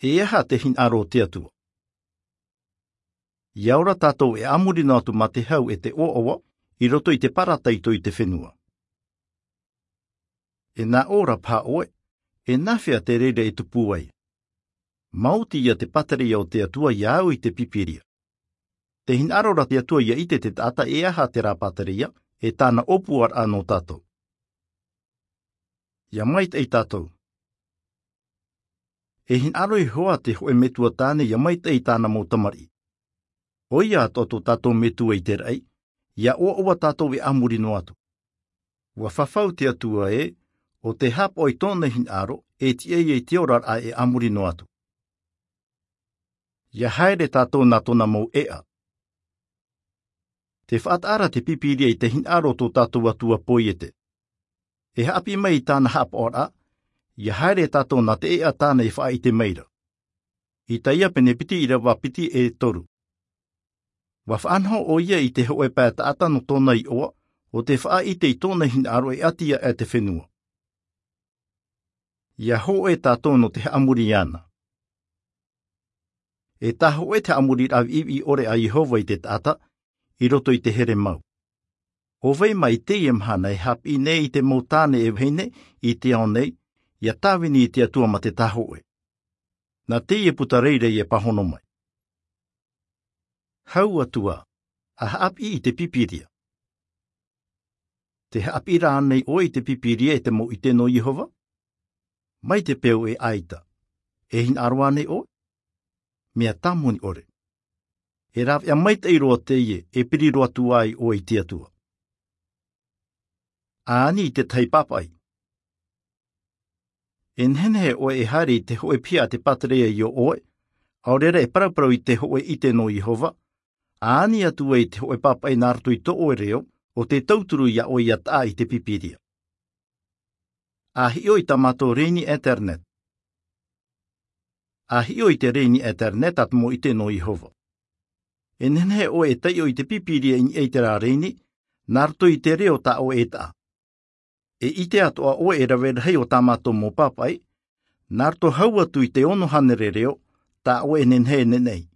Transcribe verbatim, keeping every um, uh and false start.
E aha te hinaʻaro o te Atua? Ia ora tātou e a muri noa atu mā te hau e te ʻoaʻoa i roto i te parataito i te fenua. E nā ʻō ra paha ʻoe, e nāfea te reira e tupu ai? Maoti ia te pātereia o te Atua ia au i te Pīpīria. Te hinaʻaro ra te Atua ia ʻite te taʻata e aha te rā pātereia, e tāna ʻōpuaraʻa nō tātou. Ia maitaʻi tātou. E hinaʻaro Iehova te hōʻē metua tāne ia maitaʻi i tāna mau tamariʻi. ʻOia atoʻa tō tātou Metua i te raʻi, ia ʻoaʻoa tātou e a muri noa atu. ʻUa fafau te Atua ē, ʻo tē haʻapaʻo i tōna hinaʻaro, e tiʻa ia i te oraraʻa e a muri noa atu. Ia haere tātou nā tōna mau ʻēʻa. Tē faʻataʻa ra te Pīpīria i te hinaʻaro o tō tātou Atua Poiete. E haʻapiʻi mai i tāna haʻapaʻoraʻa, ia haere tātou nā te ʻēʻa tāna e faʻaʻite mai ra. Isaia pene piti ʻīrava piti e toru. ʻUa faʻanaho ʻoia i te hōʻē pae taʻata nō tōna iʻoa, ʻo tē faʻaʻite i tōna hinaʻaro e ʻati aʻe te fenua. Ia hōʻē tātou nō te haʻamori iāna. E tāhōʻē te haʻamoriraʻa viʻiviʻi ʻore a Iehova i te taʻata, i roto i te here mau. ʻO vai mā i teie mahana e haʻapiʻi nei i te mau tāne e vahine i te ao nei, ia tāvini i te Atua mā te tāhōʻē. Nā teie puta reira ia pāhono mai. Hau atu ā, a haʻapiʻi i te Pīpīria. Tē haʻapiʻi ra ānei ʻoe i te Pīpīria e te mau ʻite nō Iehova? Mai te peu e ʻaita. E hinaʻaro ānei ʻoe? Mea tāmoni ʻore. E rāveʻa maitaʻi roa teie, e piri roa atu ai ʻoe i te Atua. A ani i te tahi pāpaʻi. E nehenehe ʻoe e haere i te hōʻē piha a te pātereia iō ʻoe, ʻaore rā e paraparau i te hōʻē ʻite nō Iehova, a ani atu ai i te hōʻē pāpaʻi nā roto i tō ʻoe reo, ʻo tē tauturu iā ʻoe ia taʻa i te Pīpīria. A hiʻo i tā mātou rēni internet. A hiʻo i te rēni internet a te mau ʻite nō Iehova. E nehenehe ʻoe e taiʻo i te Pīpīria i niʻa i terā rēni, nā roto i te reo tā ʻoe e taʻa. E ʻite atoʻa ʻoe e rave rahi o tā mātou mau pāpaʻi, nā roto hau atu i te ono hānere reo, tā ʻoe e nehenehe e neneʻi.